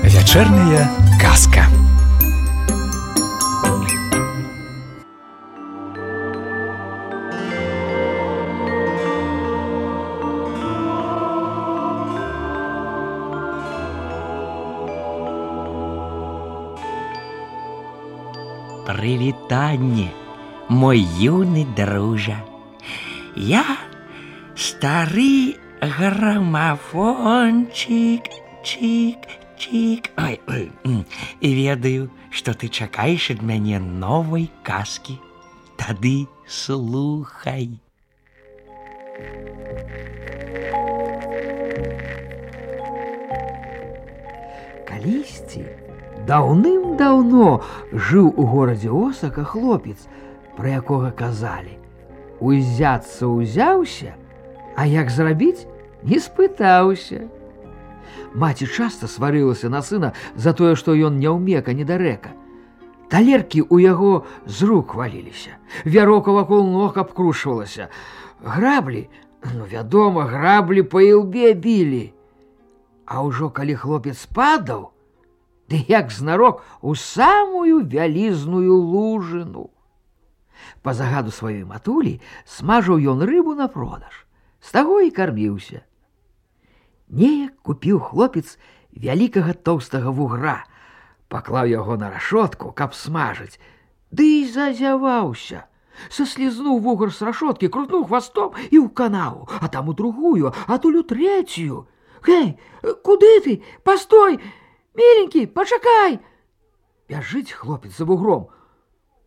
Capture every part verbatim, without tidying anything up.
Вечерняя казка. Прывітанне, мой юны дружа. Я стары грамафончик, чик, чик. Ой, ой, і ведаю, што ты чакаеш ад мяне новай казкі. Тады слухай. Калісьці даўным-даўно жыў у горадзе Осака хлопец, пра якога казалі: узяцца ўзяўся, а як зрабіць, не спытаўся. Маці часта сварылася на сына за тое, што ён няўмека недарэка. Талеркі ў яго з рук валіліся, вярока вакол ног абкрушвалася. Граблі, ну, вядома, граблі па ілбе білі. А ўжо калі хлопец падаў, ды як знарок у самую вялізную лужыну. Па загаду сваёй матулі смажыў ён рыбу на продаж, з таго і карміўся. Неяк купіў хлопец вялікага тоўстага вугра, паклаў яго на рашотку, каб смажыць, ды і зазяваўся. Саслізнуў вугар з рашоткі, крутнуў хвастом і ў канаву, а там у другую, а туль у трэцюю. Гэй, куды ты? Пастой! Миленький, пачакай! Бяжыць хлопец за вугром.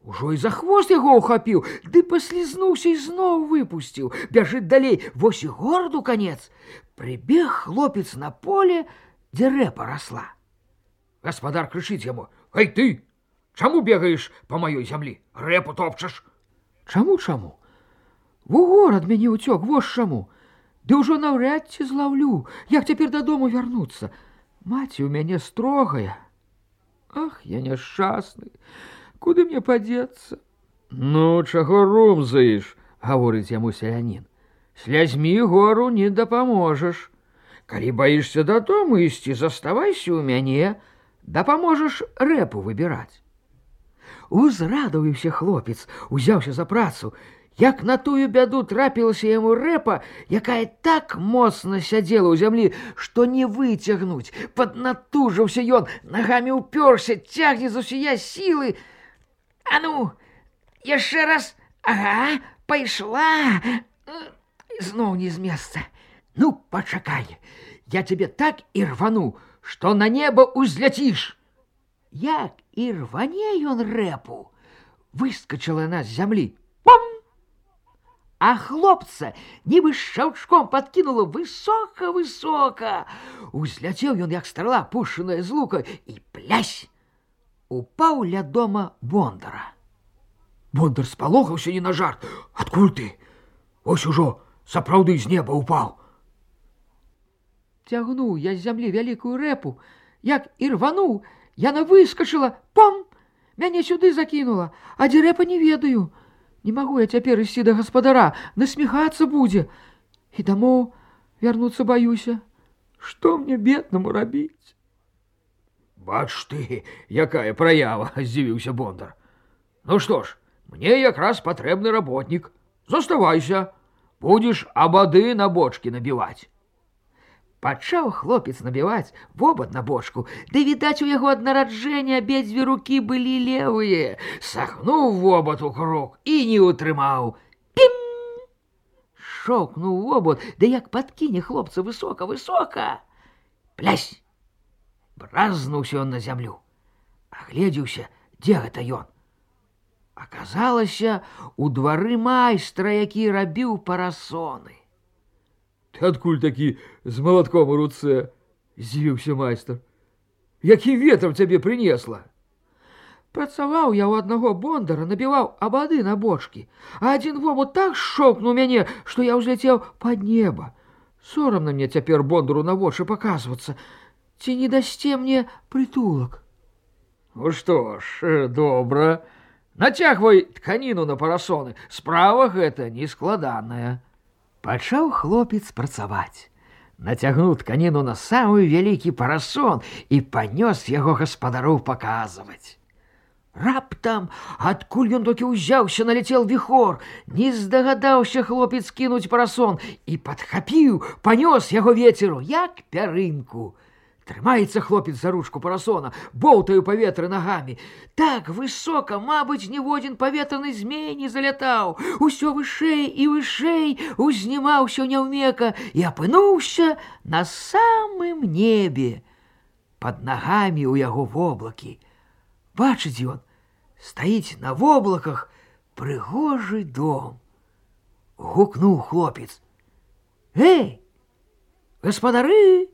Ужо і за хвост яго ухапіў, ды паслізнуўся і зноў выпусціў. Бяжыць далей, вось і гораду канец. Прыбег хлопец на поле, дзе рэпа расла. Гаспадар крычыць яму: «Эй ты, чаму бегаеш па маёй зямлі? Рэпу топчаш!» Чаму, чаму? Вугор ад мяне ўцёк, вось чаму. Ды ўжо наўряд ці злаўлю, як цяпер дадому вярнуцца. Маці ў мяне строгая. Ах, я няшчасны, куды мне падзецца? Ну, чаго румзаеш, гаворыць яму селянін. Слязьмі гору не дапаможаш. Калі баішся дадому ісці, заставайся ў мяне, дапаможаш рэпу выбіраць. Узрадаваўся хлопец, узяўся за працу. Як на тую бяду трапілася яму рэпа, якая так моцна сядзела ў зямлі, што не выцягнуць. Паднатужыўся ён, нагамі ўпёрся, цягне з усія сілы. А ну, яшчэ раз, ага, пайшла. Зноў не з месца. Ну, пачакай, я цябе так і рвану, што на неба ўзляціш. Як і рване ён рэпу, выскачала яна з зямлі. Пам! А хлопца нібы шчаўчком падкінула высока-высока. Узляцеў ён, як страла, пушаная з лука, і плясь! Упаў ля дома Бондара. Бондар спалохаўся не на жарт. Адкуль ты? Ось ужо сапраўды з неба упаў. Цягнуў я з зямлі вялікую рэпу. Як і рвануў, яна выскачыла. Пам! Мяне сюды закінула, а дзе рэпа не ведаю. Не магу я цяпер ісці да гаспадара, насміхацца будзе. І дамоў вярнуцца баюся. Што мне беднаму рабіць? Бач ты, якая праява, здзівіўся Бондар. Ну што ж, мне якраз патрэбны работнік. Заставайся, будзеш абады на бочкі набіваць. Пачаў хлопец набіваць вобад на бочку, ды, відаць, у яго ад нараджэння абедзве рукі былі левыя. Сагнуў вобад у круг і не ўтрымаў. Пім! Шоўкнуў вобад, ды як падкіне хлопца высока-высока. Плясь! Бразнуўся ён на зямлю. Агледзеўся, дзе гэта ён. Аказалася, у двары майстра, які рабіў парасоны. Ты адкуль такі з малатком у руцэ? Здзівіўся майстар. Якім ветрам цябе прынесла? Працаваў я ў аднаго бондара, набіваў абады на бочкі, а адзін вобуд так шоўкнуў мяне, што я ўзляцеў пад неба. Сорамна мне цяпер бондару на вочы паказвацца. Ці не дасце мне прытулак? Ну што ж, добра, Нацягвай тканіну на парасоны, справа гэта нескладаная. Пачаў хлопец працаваць. Нацягнуў тканіну на самы вялікі парасон і панёс яго гаспадароў паказваць. Раптам, адкуль ён толькі ўзяўся, наляцеў віхор, не здагадаўся хлопец кінуць парасон і падхапіў, панёс яго вецеру, як пярынку. Трымаецца хлопец за ручку парасона, боўтае ў паветры нагамі. Так высока, мабыць, ніводзін паветраны змей не залятаў. Усё вышэй і вышэй узнімаўся няўмека і апынуўся на самым небе. Пад нагамі ў яго воблакі. Бачыць ён, стаіць на воблаках прыгожы дом. Гукнуў хлопец. Эй, гаспадары!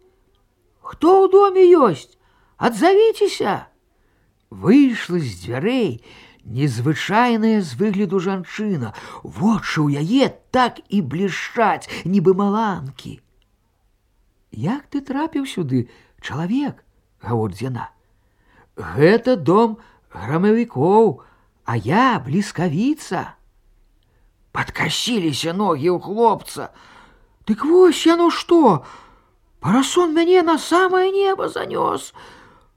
Хто ў доме ёсць? Адзавіцеся! Выйшла з дзвярэй незвычайная з выгляду жанчына. Вочы ў яе так і блішчаць, нібы маланкі. Як ты трапіў сюды, чалавек? Гаворыць яна. Гэта дом грамавікоў, а я бліскавіца. Падкасіліся ногі ў хлопца. Дык вось яно што? Парасон мяне на самае неба занёс.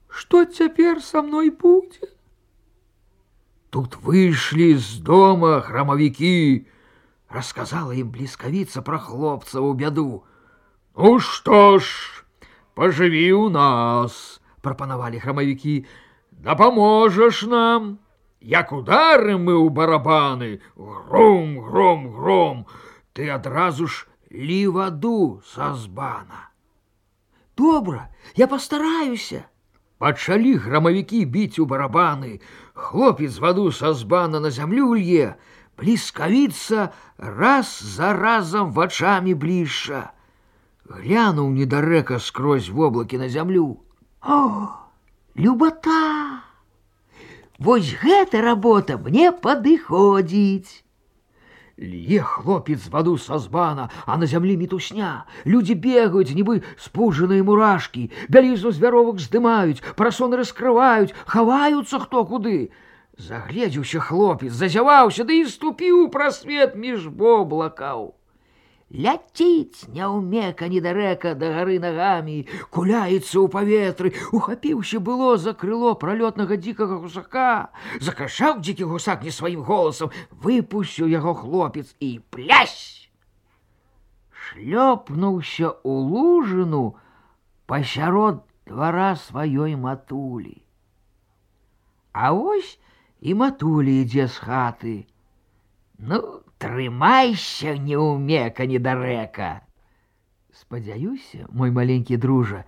Што цяпер са мной будзе? Тут выйшлі з дома храмавікі. Расказала ім бліскавіца пра хлопцаву бяду. Ну што ж, пажыві ў нас, прапанавалі храмавікі. Дапаможаш нам. Як ударым мы ў барабаны, гром, гром, гром, ты адразу ж лі ваду са збана. Добра, я пастараюся. Пачалі грамавікі біць у барабаны. Хлопец ваду са збана на зямлю лье. Бліскавіца раз за разам вачамі блішча. Глянуў недарэка скрозь воблакі на зямлю. О, любата! Вось гэта работа мне падыходзіць. Лье хлопец ваду са збана, а на зямлі мітусня. Людзі бегаюць, нібы спуджаныя мурашкі. Бялізну з вяровак здымаюць, парасоны раскрываюць, хаваюцца хто куды. Загледзеўся хлопец, зазяваўся, ды і ступіў у прасвет між воблакаў. Ляціць няўмека недарэка да гары нагамі, куляецца ў паветры, ухапіўся было за крыло пралётнага дзікага гусака. Закашаў дзікі гусак не сваім голасам, выпусціў яго хлопец і плясь! Шлёпнуўся ў лужыну пасярод двара сваёй матулі. А вось і матуля ідзе з хаты. Ну, трымайся, неўмека недарэка. Спадзяюся, мой маленькі дружа,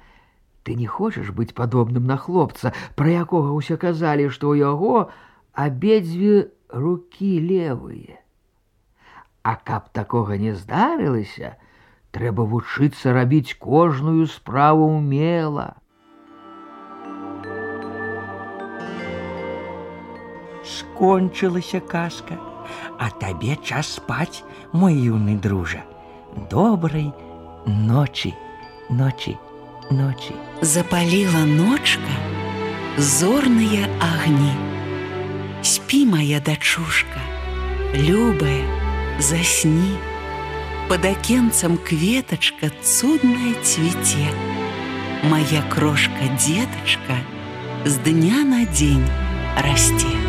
ты не хочаш быць падобным на хлопца, пра якога ўсе казалі, што ў яго абедзве рукі левыя. А каб такога не здарылася, трэба вучыцца рабіць кожную справу ўмела. Скончылася казка. А табе час спаць, мой юны дружа. Добрай ночі, ночі, ночі. Запаліла ночка зорныя агні. Спі, моя дачушка, любая, засні. Под акенцам кветачка цудная цвіце. Моя крошка-детачка з дня на дзень расце.